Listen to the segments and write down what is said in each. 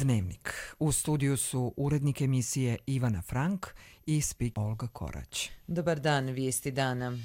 Dnevnik. U studiju su urednik emisije Ivana Frank i speaker Olga Korać. Dobar dan, vijesti dana.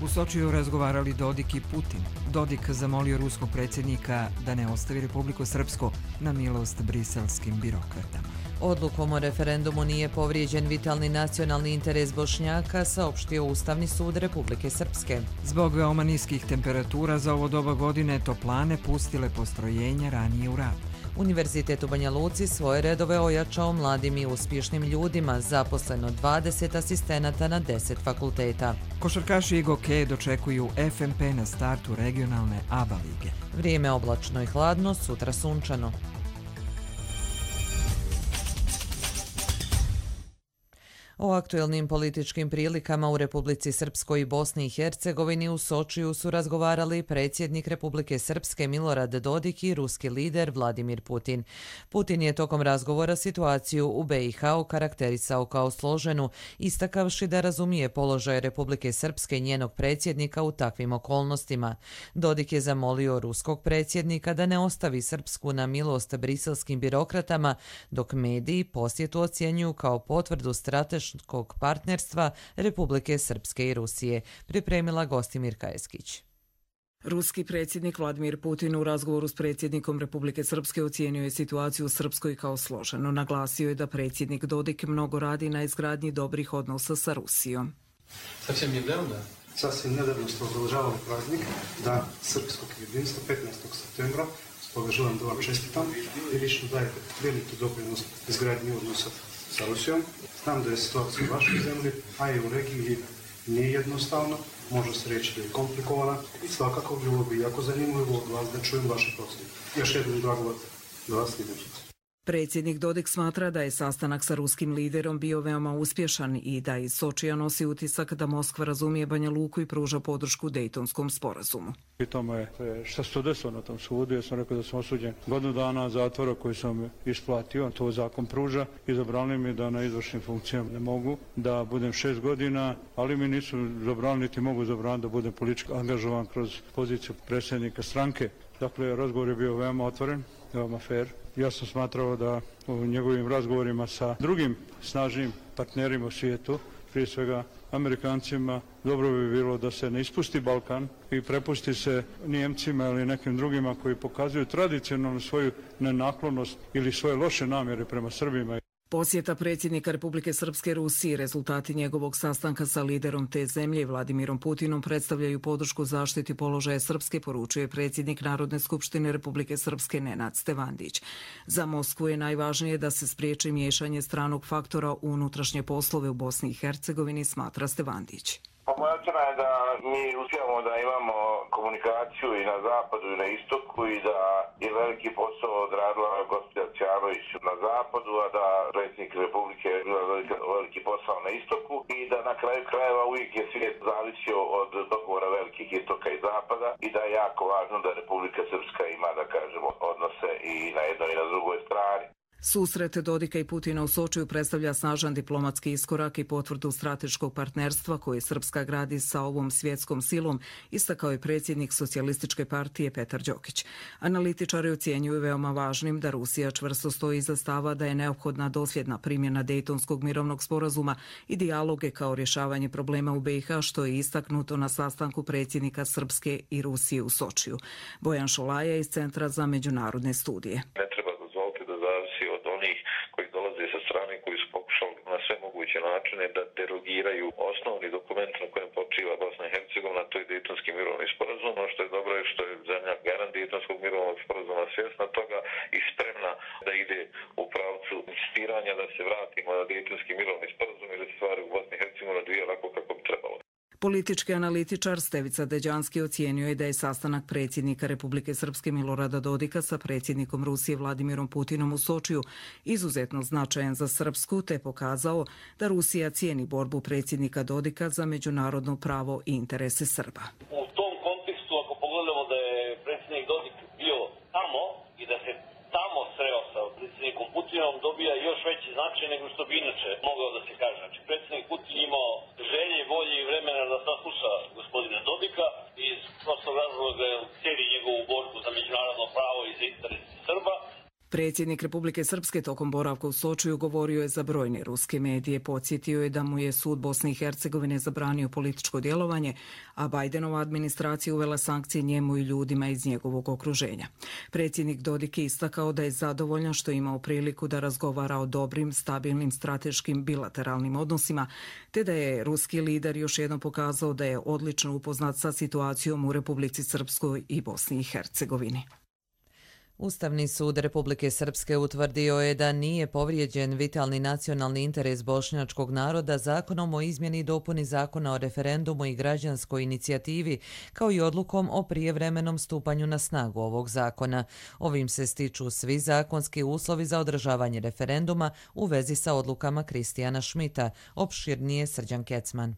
U Sočiju razgovarali Dodik i Putin. Dodik zamolio ruskog predsjednika da ne ostavi Republiku Srpsku na milost briselskim birokratama. Odlukom o referendumu nije povrijeđen vitalni nacionalni interes Bošnjaka, saopštio Ustavni sud Republike Srpske. Zbog veoma niskih temperatura za ovo doba godine toplane pustile postrojenja ranije u rad. Univerzitet u Banja Luci svoje redove ojačao mladim i uspješnim ljudima, zaposleno 20 asistenata na 10 fakulteta. Košarkaši i gokeje dočekuju FNP na startu regionalne ABA lige. Vrijeme oblačno i hladno, sutra sunčano. O aktuelnim političkim prilikama u Republici Srpskoj i Bosni i Hercegovini u Sočiju su razgovarali predsjednik Republike Srpske Milorad Dodik i ruski lider Vladimir Putin. Putin je tokom razgovora situaciju u BiH okarakterisao kao složenu, istakavši da razumije položaj Republike Srpske i njenog predsjednika u takvim okolnostima. Dodik je zamolio ruskog predsjednika da ne ostavi Srpsku na milost briselskim birokratama, dok mediji posjetu ocjenjuju kao potvrdu strateškog partnerstva Republike Srpske i Rusije, pripremila Gostimirka Eskić. Ruski predsjednik Vladimir Putin u razgovoru s predsjednikom Republike Srpske ocijenio je situaciju u Srpskoj kao složenu. Naglasio je da predsjednik Dodik mnogo radi na izgradnji dobrih odnosa sa Rusijom. Sasvim nedavno smo obeležavali praznik Dan srpskog jedinstva 15. septembra. Stoga želim da vam čestitam i lično dajete veliki doprinos izgradnji odnosa sa Rusijom. Znam da je situacija u vašoj zemlji, a i u regiji nije jednostavno, može se reći da je komplikovana i svakako bilo bi jako zanimljivo od vas da čujem vaše procjene. Još jednom drago da vas vidim. Predsjednik Dodik smatra da je sastanak sa ruskim liderom bio veoma uspješan i da iz Sočija nosi utisak da Moskva razumije Banja Luku i pruža podršku Dejtonskom sporazumu. Pitao me šta se to desilo na tom sudu, ja sam rekao da sam osuđen godinu dana zatvora koji sam isplatio, to zakon pruža i zabranili mi da na izvršnim funkcijama ne mogu, da budem 6 godina, ali mi nisu zabranili niti mogu zabraniti da budem politički angažovan kroz poziciju predsjednika stranke. Dakle, razgovor je bio veoma otvoren, veoma fair. Ja sam smatrao da u njegovim razgovorima sa drugim snažnim partnerima u svijetu, prije svega Amerikancima, dobro bi bilo da se ne ispusti Balkan i prepusti se Nijemcima ili nekim drugima koji pokazuju tradicionalnu svoju nenaklonost ili svoje loše namjere prema Srbima. Posjeta predsjednika Republike Srpske Rusiji, rezultati njegovog sastanka sa liderom te zemlje Vladimirom Putinom predstavljaju podršku zaštiti položaja Srpske, poručuje predsjednik Narodne skupštine Republike Srpske Nenad Stevandić. Za Moskvu je najvažnije da se spriječi miješanje stranog faktora u unutrašnje poslove u Bosni i Hercegovini, smatra Stevandić. Moja ocjena je da mi uspijemo da imamo komunikaciju i na zapadu i na istoku i da je veliki posao odradila gospođa Ćanović na zapadu, a da predsjednik Republike je bila veliki posao na istoku i da na kraju krajeva uvijek je svijet zavisio od dogovora velikih istoka i zapada i da je jako važno da Republika Srpska ima, da kažemo, odnose i na jednoj i na drugoj strani. Susret Dodika i Putina u Sočiju predstavlja snažan diplomatski iskorak i potvrdu strateškog partnerstva koje Srpska gradi sa ovom svjetskom silom, istakao je predsjednik Socijalističke partije Petar Đokić. Analitičari ocjenjuju veoma važnim da Rusija čvrsto stoji iza stava da je neophodna dosljedna primjena Dejtonskog mirovnog sporazuma i dijaloge kao rješavanje problema u BiH, što je istaknuto na sastanku predsjednika Srpske i Rusije u Sočiju. Bojan Šolaja iz Centra za međunarodne studije. sve moguće načine da derogiraju osnovni dokument na kojem počiva Bosna i Hercegovina, to je Dejtonski mirovni sporazum. Ono što je dobro je što je zemlja garant Dejtonskog mirovnog sporazuma svjesna toga i spremna da ide u pravcu insistiranja da se vratimo na Dejtonski mirovni sporazum i da se stvari u Bosni i Hercegovini odvije onako kako bi trebalo. Politički analitičar Stevica Deđanski ocijenio je da je sastanak predsjednika Republike Srpske Milorada Dodika sa predsjednikom Rusije Vladimirom Putinom u Sočiju izuzetno značajan za Srpsku, te pokazao da Rusija cijeni borbu predsjednika Dodika za međunarodno pravo i interese Srba. U tom kontekstu, ako pogledamo da je predsjednik Dodik bio tamo i da se tamo sreo sa predsjednikom Putinom, dobija još veći značaj nego što bi inače mogao da se kaže. Znači, predsjednik Putin imao želje, volje i vremena da sasluša cijeli njegovu borbu za međunarodno pravo i za interes Srba. Predsjednik Republike Srpske tokom boravka u Sočiju govorio je za brojne ruske medije. Podsjetio je da mu je sud Bosne i Hercegovine zabranio političko djelovanje, a Bajdenova administracija uvela sankcije njemu i ljudima iz njegovog okruženja. Predsjednik Dodik je istakao da je zadovoljan što je imao priliku da razgovara o dobrim, stabilnim, strateškim, bilateralnim odnosima, te da je ruski lider još jednom pokazao da je odlično upoznat sa situacijom u Republici Srpskoj i Bosni i Hercegovini. Ustavni sud Republike Srpske utvrdio je da nije povrijeđen vitalni nacionalni interes bošnjačkog naroda zakonom o izmjeni i dopuni zakona o referendumu i građanskoj inicijativi, kao i odlukom o prijevremenom stupanju na snagu ovog zakona. Ovim se stiču svi zakonski uslovi za održavanje referenduma u vezi sa odlukama Kristijana Šmita, opširnije Srđan Kecman.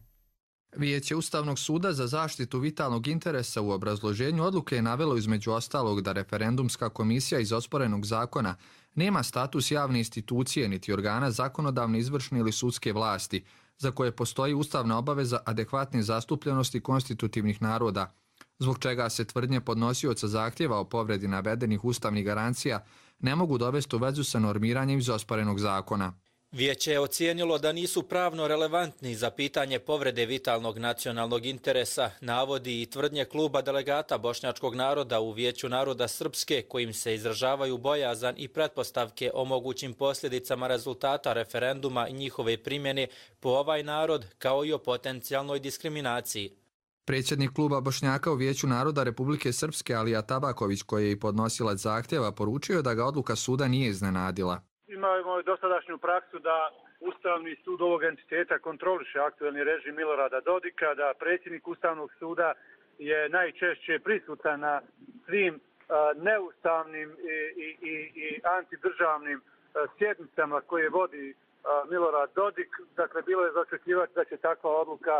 Vijeće Ustavnog suda za zaštitu vitalnog interesa u obrazloženju odluke je navelo između ostalog da referendumska komisija iz osporenog zakona nema status javne institucije niti organa zakonodavne, izvršne ili sudske vlasti, za koje postoji ustavna obaveza adekvatne zastupljenosti konstitutivnih naroda, zbog čega se tvrdnje podnosioca zahtjeva o povredi navedenih ustavnih garancija ne mogu dovesti u vezu sa normiranjem iz osporenog zakona. Vijeće je ocijenilo da nisu pravno relevantni za pitanje povrede vitalnog nacionalnog interesa, navodi i tvrdnje kluba delegata bošnjačkog naroda u Vijeću naroda Srpske, kojim se izražavaju bojazan i pretpostavke o mogućim posljedicama rezultata referenduma i njihove primjene po ovaj narod, kao i o potencijalnoj diskriminaciji. Predsjednik kluba Bošnjaka u Vijeću naroda Republike Srpske Alija Tabaković, koji je i podnosilac zahtjeva, poručio da ga odluka suda nije iznenadila. Imamo dosadašnju praksu da Ustavni sud ovog entiteta kontroliše aktuelni režim Milorada Dodika, da predsjednik Ustavnog suda je najčešće prisutan na svim neustavnim i antidržavnim sjednicama koje vodi Milorad Dodik. Dakle, bilo je za očekivati da će takva odluka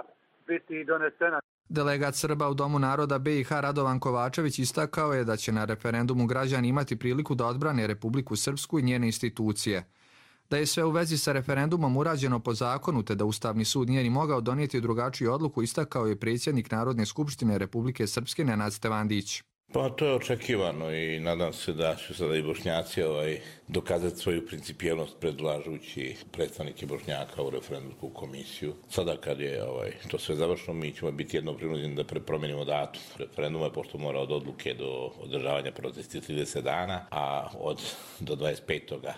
biti donesena. Delegat Srba u Domu naroda BiH Radovan Kovačević istakao je da će na referendumu građani imati priliku da odbrane Republiku Srpsku i njene institucije. Da je sve u vezi sa referendumom urađeno po zakonu, te da Ustavni sud nije ni mogao donijeti drugačiju odluku, istakao je predsjednik Narodne skupštine Republike Srpske Nenad Stevandić. Pa to je očekivano i nadam se da će sada i Bošnjaci dokazati svoju principijelnost predlažući predstavnike Bošnjaka u referendumsku komisiju. Sada kad je to sve završeno, mi ćemo biti jedno prinuđeni da promijenimo datum referenduma, pošto mora od odluke do održavanja protesti 30 dana, a do 25.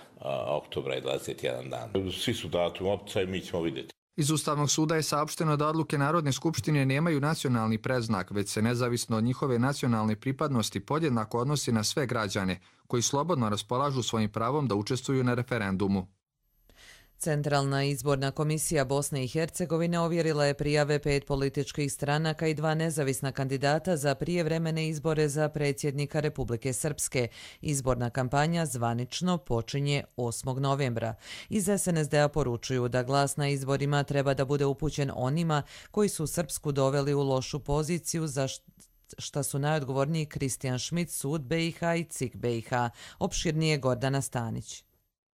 oktobra je 21 dan. Svi su datum opcija i mi ćemo vidjeti. Iz Ustavnog suda je saopšteno da odluke Narodne skupštine nemaju nacionalni predznak, već se nezavisno od njihove nacionalne pripadnosti podjednako odnosi na sve građane koji slobodno raspolažu svojim pravom da učestvuju na referendumu. Centralna izborna komisija Bosne i Hercegovine ovjerila je prijave 5 političkih stranaka i 2 nezavisna kandidata za prijevremene izbore za predsjednika Republike Srpske. Izborna kampanja zvanično počinje 8. novembra. Iz SNSD-a poručuju da glas na izborima treba da bude upućen onima koji su Srpsku doveli u lošu poziciju za šta su najodgovorniji Kristijan Šmit, Sud BiH i CIK BiH. Opširnije Gordana Stanić.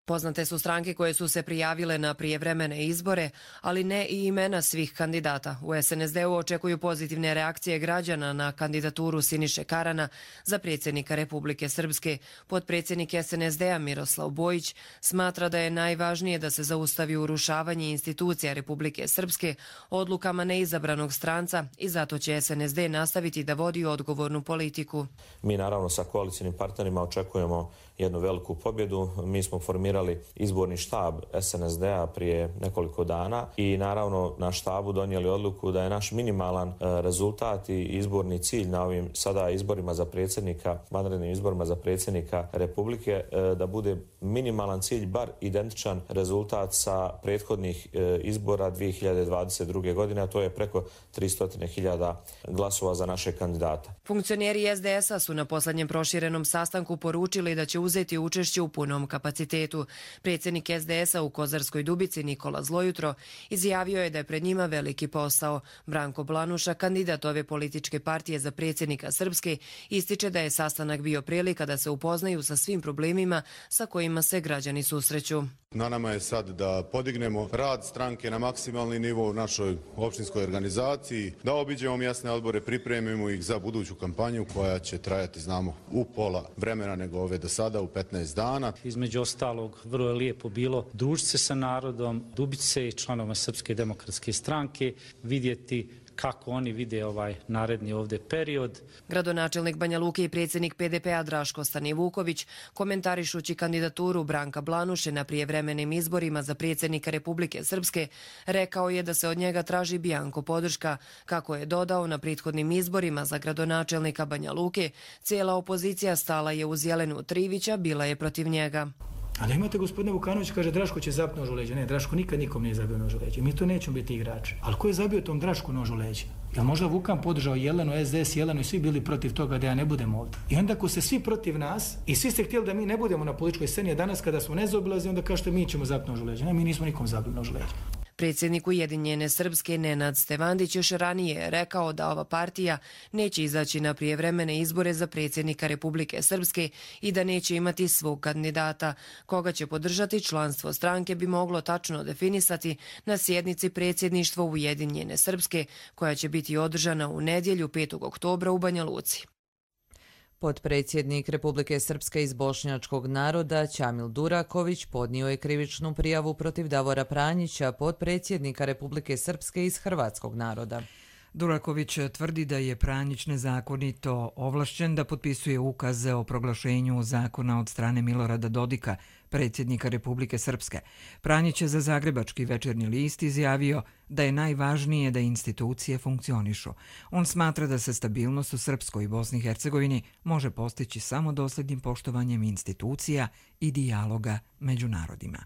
Poznate su stranke koje su se prijavile na prijevremene izbore, ali ne i imena svih kandidata. U SNSD-u očekuju pozitivne reakcije građana na kandidaturu Siniše Karana za predsjednika Republike Srpske. Potpredsjednik SNSD-a Miroslav Bojić smatra da je najvažnije da se zaustavi urušavanje institucija Republike Srpske odlukama neizabranog stranca i zato će SNSD nastaviti da vodi odgovornu politiku. Mi naravno sa koalicijnim partnerima očekujemo jednu veliku pobjedu. Mi smo formirali izborni štab SNSD-a prije nekoliko dana i naravno na štabu donijeli odluku da je naš minimalan rezultat i izborni cilj na ovim sada izborima za predsjednika, vanrednim izborima za predsjednika Republike, da bude minimalan cilj bar identičan rezultat sa prethodnih izbora 2022. godine, a to je preko 300.000 glasova za naše kandidata. Funkcioneri SDS-a su na posljednjem proširenom sastanku poručili da će uzeti učešće u punom kapacitetu. Predsjednik SDS-a u Kozarskoj Dubici Nikola Zlojutro izjavio je da je pred njima veliki posao. Branko Blanuša, kandidat ove političke partije za predsjednika Srpske, ističe da je sastanak bio prilika da se upoznaju sa svim problemima sa kojima se građani susreću. Na nama je sad da podignemo rad stranke na maksimalni nivo u našoj opštinskoj organizaciji, da obiđemo mjesne odbore, pripremimo ih za buduću kampanju koja će trajati, znamo, u pola vremena nego ove do sada, u 15 dana. Između ostalog, vrlo je lijepo bilo družiti se sa narodom, dubiti se i članova Srpske demokratske stranke, vidjeti kako oni vide ovaj naredni ovdje period. Gradonačelnik Banja Luke i predsjednik PDP-a Draško Stanivuković, komentarišući kandidaturu Branka Blanuše na prijevremenim izborima za predsjednika Republike Srpske, rekao je da se od njega traži bianko podrška. Kako je dodao, na prethodnim izborima za gradonačelnika Banja Luke, cijela opozicija stala je uz Jelenu Trivića, bila je protiv njega. Ali imate gospodina Vukanovića, kaže Draško će zapiti nož u leđa. Ne, Draško nikad nikom nije zabio nož u leđa. Mi to nećemo biti igrači. Ali ko je zabio tom Drašku nož u leđa? Jel možda Vukan podržao Jelenu, SDS, Jelenu i svi bili protiv toga da ja ne budem ovdje? I onda ko se svi protiv nas i svi ste htjeli da mi ne budemo na političkoj sceni, a danas kada smo nezaobilazni, onda kažete mi ćemo zapiti nož u leđa. Ne, mi nismo nikom zabili nož u leđa. Predsjednik Ujedinjene Srpske Nenad Stevandić još ranije rekao da ova partija neće izaći na prijevremene izbore za predsjednika Republike Srpske i da neće imati svog kandidata. Koga će podržati, članstvo stranke bi moglo tačno definisati na sjednici predsjedništva Ujedinjene Srpske, koja će biti održana u nedjelju 5. oktobra u Banja Luci. Potpredsjednik Republike Srpske iz bošnjačkog naroda Ćamil Duraković podnio je krivičnu prijavu protiv Davora Pranjića, potpredsjednika Republike Srpske iz hrvatskog naroda. Duraković tvrdi da je Pranjić nezakonito ovlašćen da potpisuje ukaze o proglašenju zakona od strane Milorada Dodika, predsjednika Republike Srpske. Pranjić je za Zagrebački večernji list izjavio da je najvažnije da institucije funkcionišu. On smatra da se stabilnost u Srpskoj i Bosni i Hercegovini može postići samo dosljednim poštovanjem institucija i dijaloga među narodima.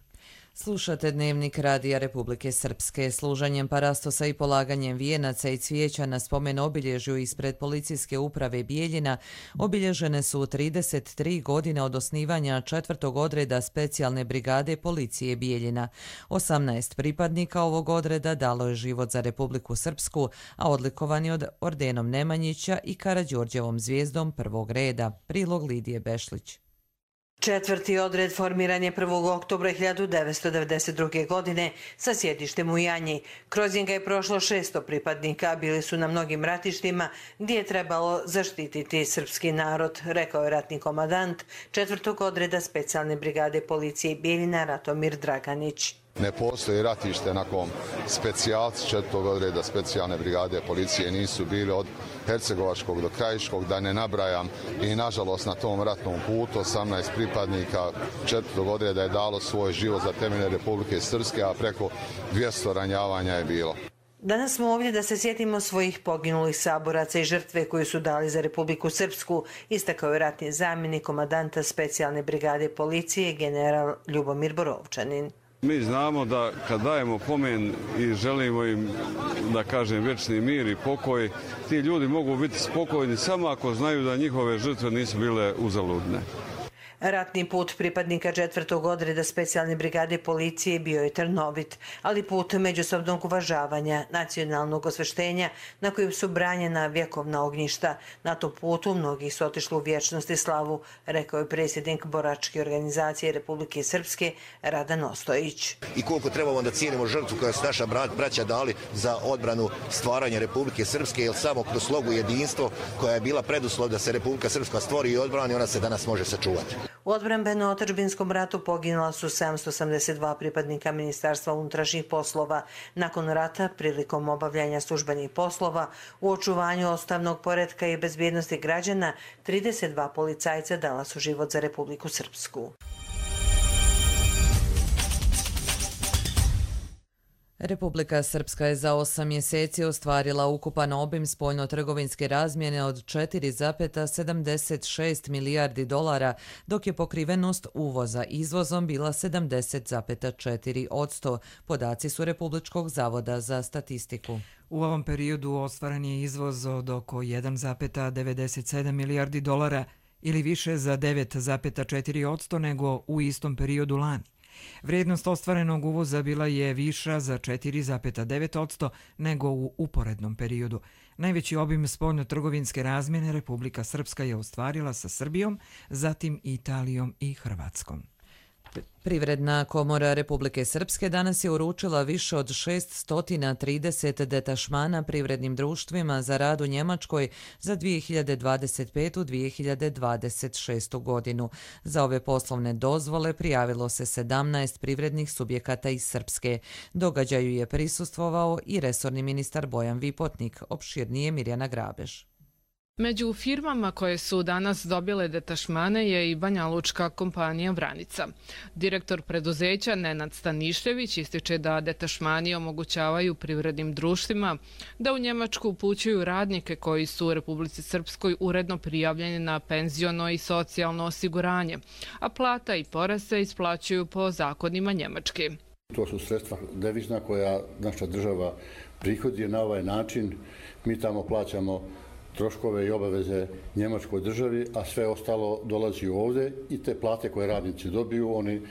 Slušate Dnevnik Radija Republike Srpske. Služenjem parastosa i polaganjem vijenaca i cvijeća na spomen obilježju ispred policijske uprave Bijeljina obilježene su 33 godine od osnivanja 4. odreda specijalne brigade policije Bijeljina. 18 pripadnika ovog odreda dalo je život za Republiku Srpsku, a odlikovani od ordenom Nemanjića i Karađorđevom zvijezdom prvog reda. Prilog Lidije Bešlić. 4. odred formiran je 1. oktobra 1992. godine sa sjedištem u Janji. Kroz njega je prošlo 600 pripadnika, bili su na mnogim ratištima gdje je trebalo zaštititi srpski narod, rekao je ratni komandant 4. odreda specijalne brigade policije Bijeljina Ratomir Draganić. Ne postoji ratište na kom specijalci 4. odreda specijalne brigade policije nisu bili od Hercegovačkog do Krajiškog, da ne nabrajam, i nažalost na tom ratnom putu 18 pripadnika 4. odreda je dalo svoj život za temelje Republike Srpske, a preko 200 ranjavanja je bilo. Danas smo ovdje da se sjetimo svojih poginulih saboraca i žrtve koju su dali za Republiku Srpsku, istakao je ratni zamjenik komandanta specijalne brigade policije general Ljubomir Borovčanin. Mi znamo da kad dajemo pomen i želimo im, da kažem, vječni mir i pokoj, ti ljudi mogu biti spokojni samo ako znaju da njihove žrtve nisu bile uzaludne. Ratni put pripadnika 4. odreda specijalne brigade policije bio je trnovit, ali put međusobnog uvažavanja, nacionalnog osveštenja na kojem su branjena vjekovna ognjišta. Na tom putu mnogi su otišli u vječnost i slavu, rekao je predsjednik boračke organizacije Republike Srpske Radan Ostojić. I koliko trebamo da cijenimo žrtvu koja su naša braća dali za odbranu stvaranja Republike Srpske, jer samo kroz slogu jedinstvo koja je bila preduslov da se Republika Srpska stvori i odbrani, ona se danas može sačuvati. U odbrambeno-otadžbinskom ratu poginula su 782 pripadnika Ministarstva unutrašnjih poslova. Nakon rata, prilikom obavljanja službenih poslova, u očuvanju ustavnog poretka i bezbjednosti građana, 32 policajca dala su život za Republiku Srpsku. Republika Srpska je za 8 mjeseci ostvarila ukupan obim spoljno-trgovinske razmjene od 4,76 milijardi dolara, dok je pokrivenost uvoza izvozom bila 70,4%. Podaci su Republičkog zavoda za statistiku. U ovom periodu ostvaren je izvoz od oko 1,97 milijardi dolara ili više za 9,4% nego u istom periodu lani. Vrijednost ostvarenog uvoza bila je viša za 4,9% nego u uporednom periodu. Najveći obim spoljno-trgovinske razmjene Republika Srpska je ostvarila sa Srbijom, zatim Italijom i Hrvatskom. Privredna komora Republike Srpske danas je uručila više od 630 detašmana privrednim društvima za rad u Njemačkoj za 2025-2026. godinu. Za ove poslovne dozvole prijavilo se 17 privrednih subjekata iz Srpske. Događaju je prisustvovao i resorni ministar Bojan Vipotnik, opširnije Mirjana Grabež. Među firmama koje su danas dobile detašmane je i banjalučka kompanija Vranica. Direktor preduzeća Nenad Stanišljević ističe da detašmani omogućavaju privrednim društvima da u Njemačku upućuju radnike koji su u Republici Srpskoj uredno prijavljeni na penziono i socijalno osiguranje, a plata i porez se isplaćuju po zakonima Njemačke. To su sredstva devizna koja naša država prihodi na ovaj način. Mi tamo plaćamo troškove i obaveze Njemačkoj državi, a sve ostalo dolazi ovdje i te plate koje radnici dobiju, oni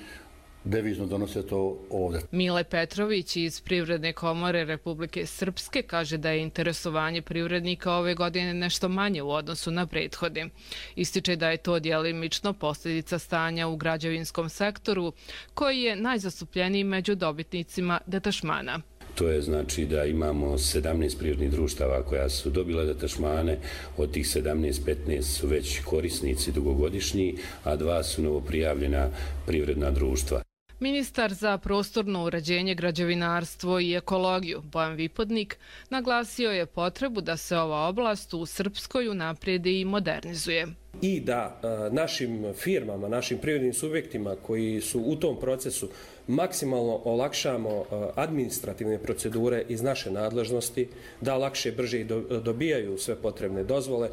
devizno donose to ovdje. Mile Petrović iz Privredne komore Republike Srpske kaže da je interesovanje privrednika ove godine nešto manje u odnosu na prethodne. Ističe da je to djelimično posljedica stanja u građevinskom sektoru, koji je najzastupljeniji među dobitnicima detašmana. To je znači da imamo 17 privrednih društava koja su dobile detašmane, od tih 17-15 su već korisnici dugogodišnji, a 2 su novoprijavljena privredna društva. Ministar za prostorno uređenje, građevinarstvo i ekologiju Bojan Vipotnik naglasio je potrebu da se ova oblast u Srpskoj unaprijedi i modernizuje. I da našim firmama, našim privrednim subjektima koji su u tom procesu maksimalno olakšamo administrativne procedure iz naše nadležnosti, da lakše, brže dobijaju sve potrebne dozvole.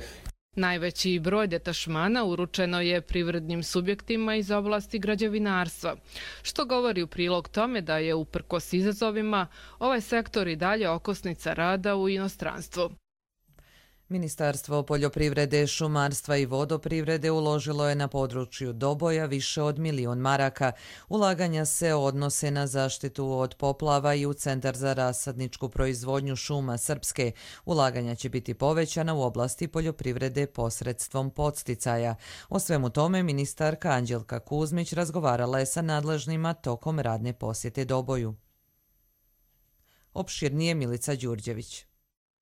Najveći broj detašmana uručeno je privrednim subjektima iz oblasti građevinarstva, što govori u prilog tome da je uprkos izazovima ovaj sektor i dalje okosnica rada u inostranstvu. Ministarstvo poljoprivrede, šumarstva i vodoprivrede uložilo je na području Doboja više od 1 milion maraka. Ulaganja se odnose na zaštitu od poplava i u Centar za rasadničku proizvodnju šuma Srpske. Ulaganja će biti povećana u oblasti poljoprivrede posredstvom podsticaja. O svemu tome ministarka Anđelka Kuzmić razgovarala je sa nadležnima tokom radne posjete Doboju. Opširnije Milica Đurđević.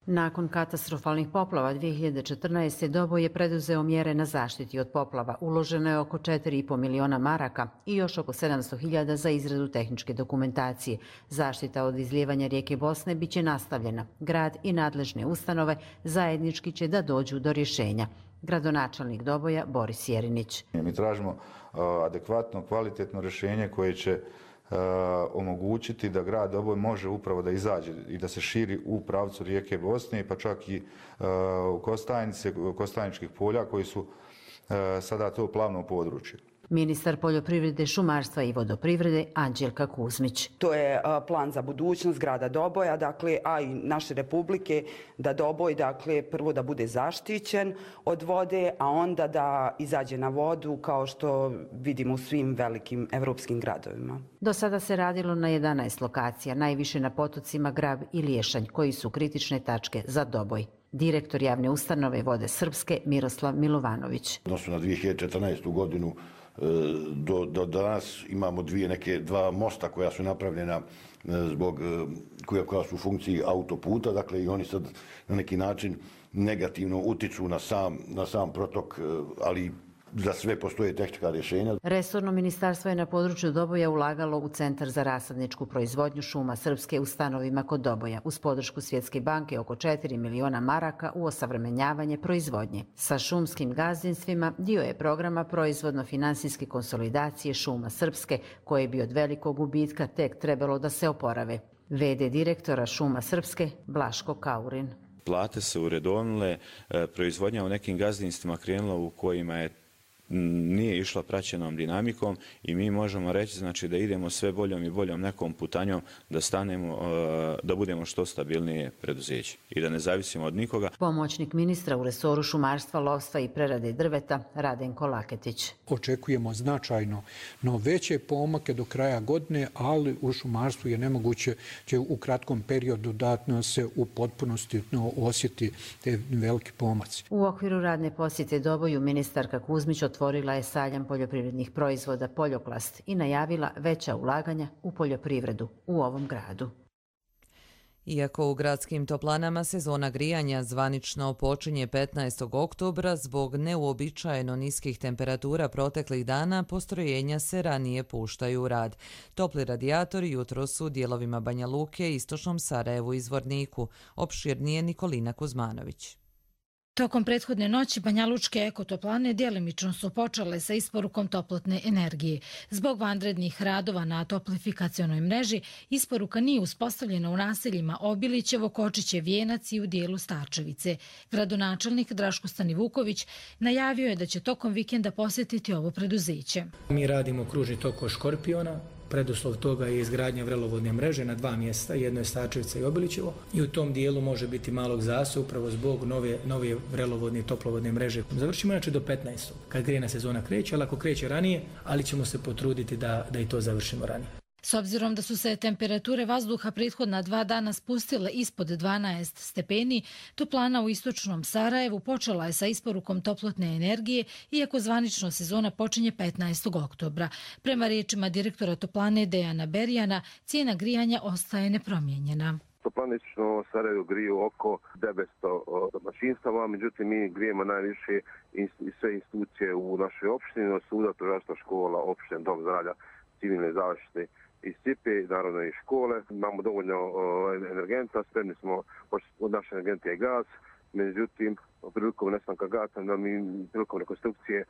Nakon katastrofalnih poplava 2014. Doboj je preduzeo mjere na zaštiti od poplava. Uloženo je oko 4,5 miliona maraka i još oko 700.000 za izradu tehničke dokumentacije. Zaštita od izlijevanja rijeke Bosne biće nastavljena. Grad i nadležne ustanove zajednički će da dođu do rješenja. Gradonačelnik Doboja Boris Jerinić. Mi tražimo adekvatno, kvalitetno rješenje koje će omogućiti da grad Doboj može upravo da izađe i da se širi u pravcu rijeke Bosne, pa čak i u Kostajnice, Kostajničkih polja koji su sada to plavno područje. Ministar poljoprivrede, šumarstva i vodoprivrede Anđelka Kuzmić. To je plan za budućnost grada Doboja, dakle, a i naše republike, da Doboj, dakle, prvo da bude zaštićen od vode, a onda da izađe na vodu kao što vidimo u svim velikim evropskim gradovima. Do sada se radilo na 11 lokacija, najviše na potocima Grab i Liješanj, koji su kritične tačke za Doboj. Direktor javne ustanove Vode Srpske Miroslav Milovanović. Odnosno na 2014. godinu do danas imamo dva mosta koja su napravljena koja su u funkciji autoputa, dakle i oni sad na neki način negativno utiču na sam protok, ali za sve postoje tehnička rješenja. Resorno ministarstvo je na području Doboja ulagalo u Centar za rasadničku proizvodnju šuma Srpske u stanovima kod Doboja, uz podršku Svjetske banke oko 4 miliona maraka u osavremenjavanje proizvodnje. Sa šumskim gazdinstvima dio je programa proizvodno-finansijske konsolidacije šuma Srpske, koje bi od velikog gubitka tek trebalo da se oporave. VD direktora šuma Srpske Blaško Kaurin. Plate se uredovnile, proizvodnja u nekim gazdinstvima krenula u kojima nije išla praćenom dinamikom i mi možemo reći znači, da idemo sve boljom i boljom nekom putanjom da stanemo, da budemo što stabilnije preduzeće i da ne zavisimo od nikoga. Pomoćnik ministra u resoru šumarstva, lovstva i prerade drveta Radenko Laketić. Očekujemo značajno veće pomake do kraja godine, ali u šumarstvu je nemoguće će u kratkom periodu da se u potpunosti osjeti te veliki pomaci. U okviru radne posjete Doboju ministarka Kuzmić otvorila otvorila je sajam poljoprivrednih proizvoda Poljoklast i najavila veća ulaganja u poljoprivredu u ovom gradu. Iako u gradskim toplanama sezona grijanja zvanično počinje 15. oktobra, zbog neuobičajeno niskih temperatura proteklih dana, postrojenja se ranije puštaju u rad. Topli radijatori jutros su u dijelovima Banja Luke, istočnom Sarajevu i Zvorniku. Opširnije Nikolina Kuzmanović. Tokom prethodne noći banjalučke ekotoplane djelimično su počele sa isporukom toplotne energije. Zbog vanrednih radova na toplifikacionoj mreži, isporuka nije uspostavljena u naseljima Obilićevo, Kočiće, Vijenac i u dijelu Starčevice. Gradonačelnik Draško Stanivuković najavio je da će tokom vikenda posjetiti ovo preduzeće. Mi radimo kružni tok od Škorpiona. Preduslov toga je izgradnja vrelovodne mreže na 2 mjesta, jedno je Starčevica i Obilićevo, i u tom dijelu može biti malog zastoja upravo zbog nove vrelovodne i toplovodne mreže. Završimo inače do 15. kad grijena sezona kreće, ali ako kreće ranije, ali ćemo se potruditi da i to završimo ranije. S obzirom da su se temperature vazduha prethodna 2 dana spustile ispod 12 stepeni, toplana u istočnom Sarajevu počela je sa isporukom toplotne energije, iako zvanično sezona počinje 15. oktobra. Prema riječima direktora toplane Dejana Berijana, cijena grijanja ostaje nepromijenjena. Toplane istočno Sarajevo griju oko 900 domaćinstava, međutim mi grijemo najviše sve institucije u našoj opštini, od suda, tužilaštva, škola, opštine, dom zdravlja, civilne zaštite i SIPE, naravno i škole. Imamo dovoljno energenta, spremni smo, od naše energente je gas, međutim, prilikom nestanka gasa, prilikom rekonstrukcije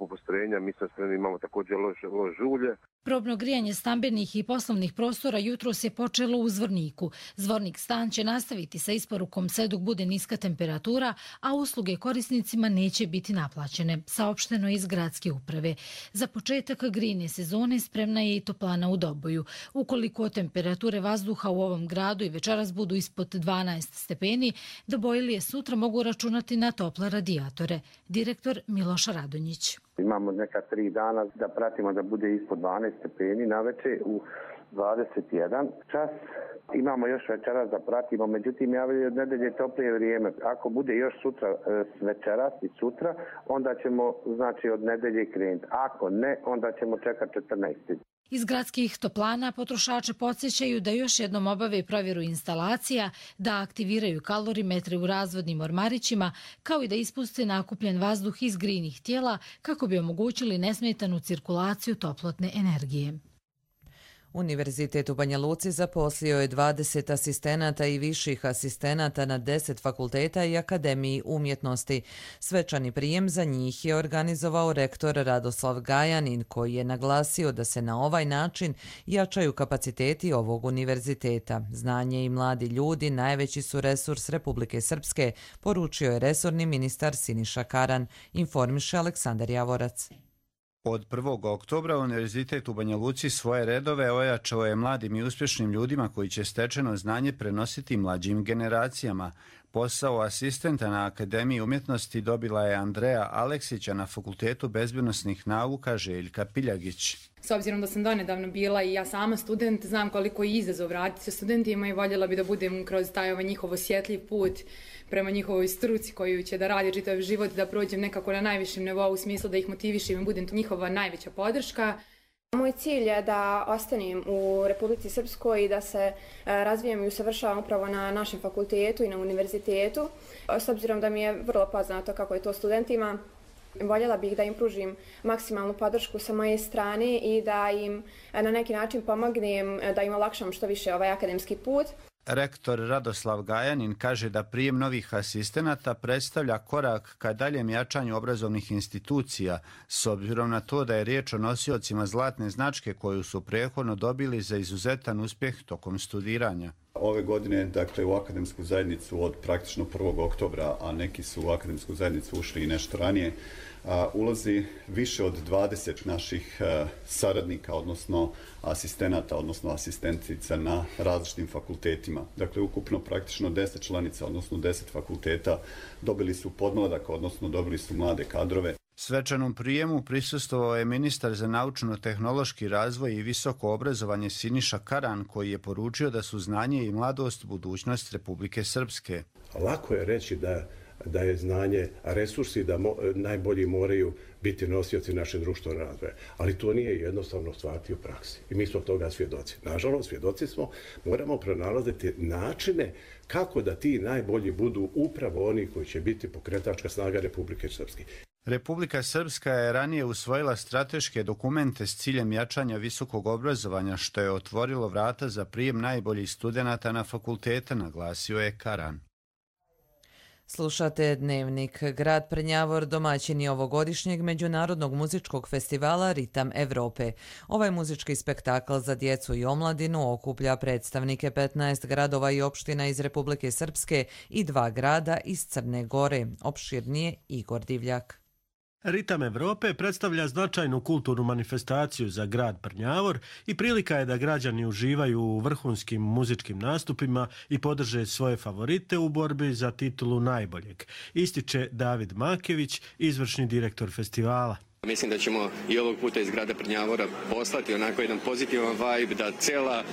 postrojenja, mi smo spremni, imamo također lož žulje. Probno grijanje stambenih i poslovnih prostora jutros je počelo u Zvorniku. Zvornik stan će nastaviti sa isporukom sve dok bude niska temperatura, a usluge korisnicima neće biti naplaćene, saopšteno iz gradske uprave. Za početak grijne sezone spremna je i toplana u Doboju. Ukoliko temperature vazduha u ovom gradu i večeras budu ispod 12 stepeni, Dobojlije sutra mogu računati na tople radijatore. Direktor Miloš Radonjić. Imamo neka 3 dana da pratimo da bude ispod 12 stepeni naveče u 21 čas. Imamo još večeras da pratimo, međutim javljaju od nedelje toplije vrijeme. Ako bude još sutra večeras i sutra, onda ćemo od nedelje krenuti. Ako ne, onda ćemo čekati 14. Iz gradskih toplana potrošače podsjećaju da još jednom obave provjeru instalacija, da aktiviraju kalorimetre u razvodnim ormarićima, kao i da ispuste nakupljen vazduh iz grijnih tijela kako bi omogućili nesmetanu cirkulaciju toplotne energije. Univerzitet u Banja Luci zaposlio je 20 asistenata i viših asistenata na 10 fakulteta i Akademiji umjetnosti. Svečani prijem za njih je organizovao rektor Radoslav Gajanin, koji je naglasio da se na ovaj način jačaju kapaciteti ovog univerziteta. Znanje i mladi ljudi najveći su resurs Republike Srpske, poručio je resorni ministar Siniša Karan, informiše Aleksandar Javorac. Od 1. oktobra Univerzitet u Banja Luci svoje redove ojačao je mladim i uspješnim ljudima koji će stečeno znanje prenositi mlađim generacijama. Posao asistenta na Akademiji umjetnosti dobila je Andreja Aleksića na Fakultetu bezbjednosnih nauka Željka Piljagić. S obzirom da sam donedavno bila i ja sama student, znam koliko je izazov raditi sa studentima i voljela bi da budem kroz taj njihov osjetljiv put prema njihovoj struci koju će da radi čitav život, da prođem nekako na najvišem nivou u smislu da ih motivišem i budem njihova najveća podrška. Moj cilj je da ostanem u Republici Srpskoj i da se razvijem i usavršavam upravo na našem fakultetu i na univerzitetu. S obzirom da mi je vrlo poznato kako je to studentima, voljela bih da im pružim maksimalnu podršku sa moje strane i da im na neki način pomognem da im olakšam što više ovaj akademski put. Rektor Radoslav Gajanin kaže da prijem novih asistenata predstavlja korak ka daljem jačanju obrazovnih institucija, s obzirom na to da je riječ o nosiocima zlatne značke koju su prethodno dobili za izuzetan uspjeh tokom studiranja. Ove godine, dakle, u akademsku zajednicu od praktično 1. oktobra, a neki su u akademsku zajednicu ušli i nešto ranije, ulazi više od 20 naših saradnika, odnosno asistenata, odnosno asistentica na različitim fakultetima. Dakle, ukupno praktično 10 članica, odnosno 10 fakulteta dobili su podmladak, odnosno dobili su mlade kadrove. Svečanom prijemu prisustvovao je ministar za naučno-tehnološki razvoj i visoko obrazovanje Siniša Karan, koji je poručio da su znanje i mladost budućnost Republike Srpske. Lako je reći da da je znanje resursi, da najbolji moraju biti nosioci naše društvenog razvoja. Ali to nije jednostavno stvariti u praksi. I mi smo toga svjedoci. Nažalost, svjedoci smo, moramo pronalaziti načine kako da ti najbolji budu upravo oni koji će biti pokretačka snaga Republike Srpske. Republika Srpska je ranije usvojila strateške dokumente s ciljem jačanja visokog obrazovanja, što je otvorilo vrata za prijem najboljih studenata na fakultete, naglasio je Karan. Slušate Dnevnik. Grad Prnjavor domaćin je ovogodišnjeg međunarodnog muzičkog festivala Ritam Evrope. Ovaj muzički spektakl za djecu i omladinu okuplja predstavnike 15 gradova i opština iz Republike Srpske i 2 grada iz Crne Gore. Opširnije Igor Divljak. Ritam Evrope predstavlja značajnu kulturnu manifestaciju za grad Prnjavor i prilika je da građani uživaju u vrhunskim muzičkim nastupima i podrže svoje favorite u borbi za titulu najboljeg, ističe David Makević, izvršni direktor festivala. Mislim da ćemo i ovog puta iz grada Prnjavora poslati onako jedan pozitivan vibe, da cijela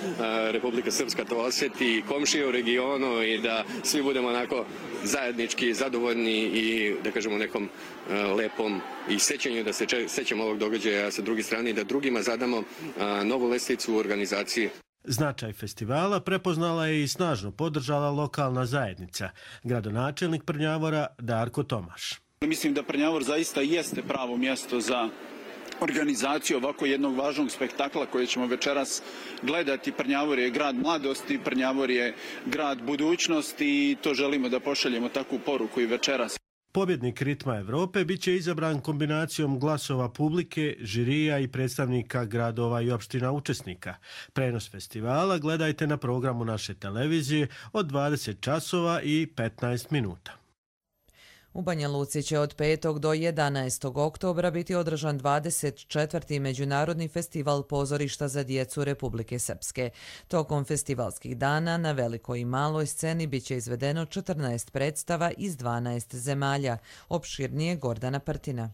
Republika Srpska to osjeti, komšije u regionu i da svi budemo onako zajednički zadovoljni i da kažemo nekom lepom i sećanju da se sećamo ovog događaja, a sa druge strane da drugima zadamo novu lestvicu u organizaciji. Značaj festivala prepoznala je i snažno podržala lokalna zajednica, gradonačelnik Prnjavora Darko Tomaš. Mislim da Prnjavor zaista jeste pravo mjesto za organizaciju ovako jednog važnog spektakla koje ćemo večeras gledati. Prnjavor je grad mladosti, Prnjavor je grad budućnosti i to želimo da pošaljemo takvu poruku i večeras. Pobjednik Ritma Evrope bit će izabran kombinacijom glasova publike, žirija i predstavnika gradova i opština učesnika. Prenos festivala gledajte na programu naše televizije od 20 časova i 15 minuta. U Banja Luci će od 5. do 11. oktobra biti održan 24. Međunarodni festival pozorišta za djecu Republike Srpske. Tokom festivalskih dana na velikoj i maloj sceni bit će izvedeno 14 predstava iz 12 zemalja. Opširnije Gordana Prtina.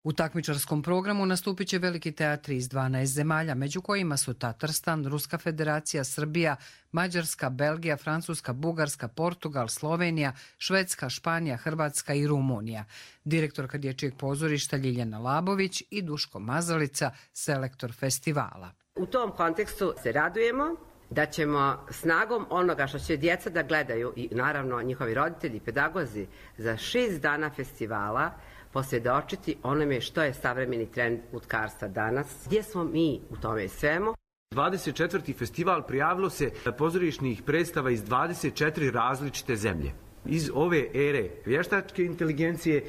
U takmičarskom programu nastupit će veliki teatri iz 12 zemalja, među kojima su Tatarstan, Ruska federacija, Srbija, Mađarska, Belgija, Francuska, Bugarska, Portugal, Slovenija, Švedska, Španija, Hrvatska i Rumunija. Direktorka dječjeg pozorišta Ljiljana Labović i Duško Mazalica, selektor festivala. U tom kontekstu se radujemo da ćemo snagom onoga što će djeca da gledaju i naravno njihovi roditelji i pedagozi za 6 dana festivala posvjedočiti onome što je savremeni trend lutkarstva danas. Gdje smo mi u tome svemu? 24. festival prijavilo se pozorišnih predstava iz 24 različite zemlje. Iz ove ere vještačke inteligencije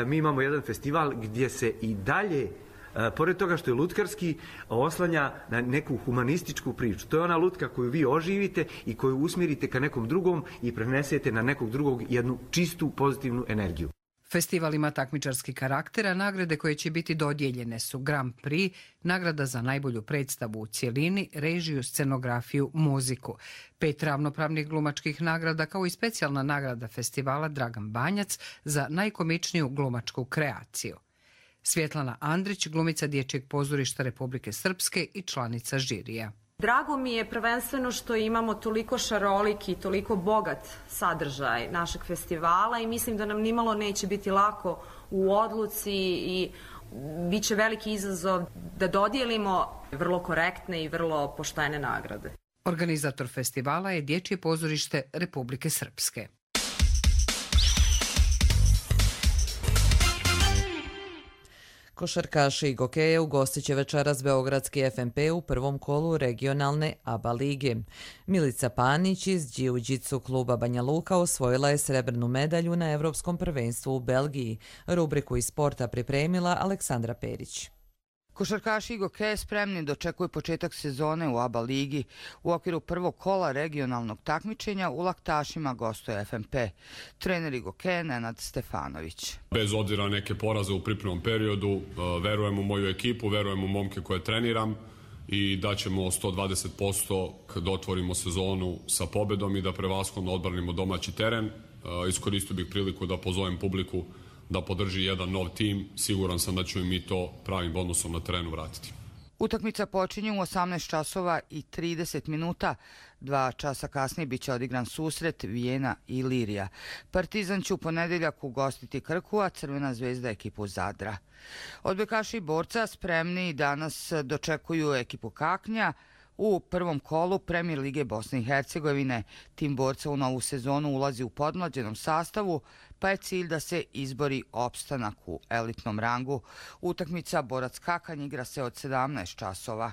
mi imamo jedan festival gdje se i dalje, pored toga što je lutkarski, oslanja na neku humanističku priču. To je ona lutka koju vi oživite i koju usmjerite ka nekom drugom i prenesete na nekog drugog jednu čistu pozitivnu energiju. Festival ima takmičarski karakter, a nagrade koje će biti dodijeljene su Grand Prix, nagrada za najbolju predstavu u cjelini, režiju, scenografiju, muziku. 5 ravnopravnih glumačkih nagrada kao i specijalna nagrada festivala Dragan Banjac za najkomičniju glumačku kreaciju. Svjetlana Andrić, glumica dječjeg pozorišta Republike Srpske i članica žirija. Drago mi je prvenstveno što imamo toliko šarolik i toliko bogat sadržaj našeg festivala i mislim da nam nimalo neće biti lako u odluci i bit će veliki izazov da dodijelimo vrlo korektne i vrlo poštene nagrade. Organizator festivala je Dječje pozorište Republike Srpske. Košarkaši i gokeje ugostit će večeras beogradski FNP u prvom kolu regionalne ABA lige. Milica Panić iz Jiu-Jitsu kluba Banja Luka osvojila je srebrnu medalju na Evropskom prvenstvu u Belgiji. Rubriku iz sporta pripremila Aleksandra Perić. Košarkaši i gokeje spremni dočekuju početak sezone u ABA ligi. U okviru prvog kola regionalnog takmičenja u Laktašima gostuje FNP. Trener i gokeje Nenad Stefanović. Bez obzira na neke poraze u pripremnom periodu, verujem u moju ekipu, verujem u momke koje treniram i da ćemo 120% da otvorimo sezonu sa pobedom i da prevashodno odbranimo domaći teren. Iskoristio bih priliku da pozovem publiku da podrži jedan nov tim. Siguran sam da ćemo mi to pravim odnosom na terenu vratiti. Utakmica počinje u 18 časova i 30 minuta. 2 časa kasnije biće odigran susret Vijena i Ilirija. Partizan će u ponedeljak ugostiti Krku, a Crvena zvezda ekipu Zadra. Odbojkaši i borca spremni danas dočekuju ekipu Kaknja u prvom kolu Premijer lige Bosne i Hercegovine. Tim borca u novu sezonu ulazi u podmlađenom sastavu, pa je cilj da se izbori opstanak u elitnom rangu. Utakmica Borac Kakanj igra se od 17 časova.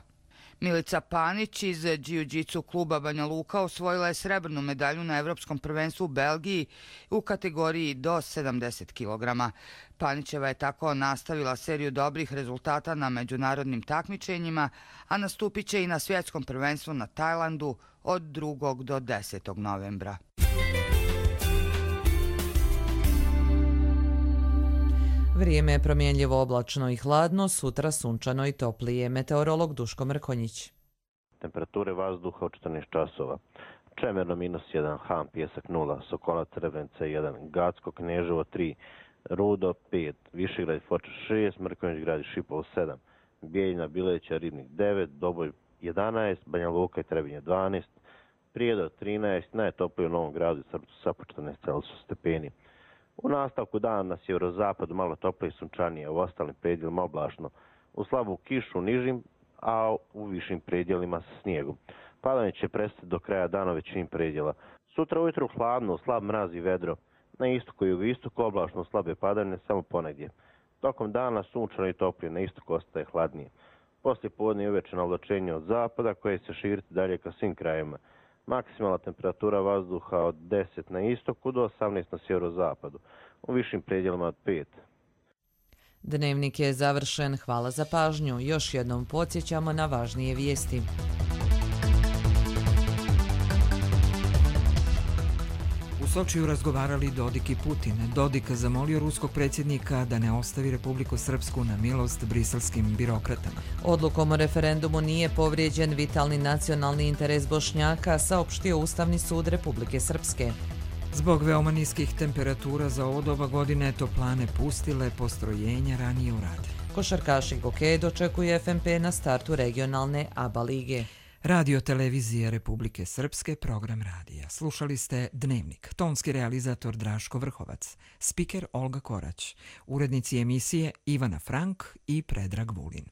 Milica Panić iz Jiu-Jitsu kluba Banja Luka osvojila je srebrnu medalju na Evropskom prvenstvu u Belgiji u kategoriji do 70 kg. Panićeva je tako nastavila seriju dobrih rezultata na međunarodnim takmičenjima, a nastupit će i na svjetskom prvenstvu na Tajlandu od 2. do 10. novembra. Vrijeme je promjenljivo, oblačno i hladno, sutra sunčano i toplije. Meteorolog Duško Mrkonjić. Temperature vazduha od 14 časova. Čemerno -1, Ham, Pjesak 0, Sokola, Trebrenca 1, Gacko, Kneževo 3, Rudo 5, Višegrad, Foča 6, Mrkonjić Grad i Šipovo 7, Bijeljina, Bileća, Ribnik 9, Doboj 11, Banja Luka i Trebinje 12, Prijedor 13, najtoplije u Novom Gradu i Srpcu sa po 14 stepeni. U nastavku dana na sjeverozapadu malo toplije i sunčanije, u ostalim predjelima oblačno. U slabu kišu nižim, a u višim predjelima sa snijegom. Padanje će prestati do kraja dana većinim predjela. Sutra ujutru hladno, slab mraz i vedro. Na istoku i jugoistoku oblačno slabe padavine samo ponegdje. Tokom dana sunčano i toplije, na istoku ostaje hladnije. Poslije podne i uveče navlačenje od zapada koje se širiti dalje ka svim krajevima. Maksimalna temperatura vazduha od 10 na istoku do 18 na sjeverozapadu, u višim predjelima od 5. Dnevnik je završen. Hvala za pažnju. Još jednom podsjećamo na važnije vijesti. U Sočiju razgovarali Dodik i Putin. Dodik zamolio ruskog predsjednika da ne ostavi Republiku Srpsku na milost briselskim birokratama. Odlukom o referendumu nije povrijeđen vitalni nacionalni interes Bošnjaka, saopštio Ustavni sud Republike Srpske. Zbog veoma niskih temperatura za ovo doba godine toplane pustile postrojenja ranije u rad. Košarkaši Goke dočekuje FNP na startu regionalne ABA lige. Radio televizije Republike Srpske, program radija. Slušali ste Dnevnik. Tonski realizator Draško Vrhovac. Spiker Olga Korać. Urednici emisije Ivana Frank i Predrag Vulin.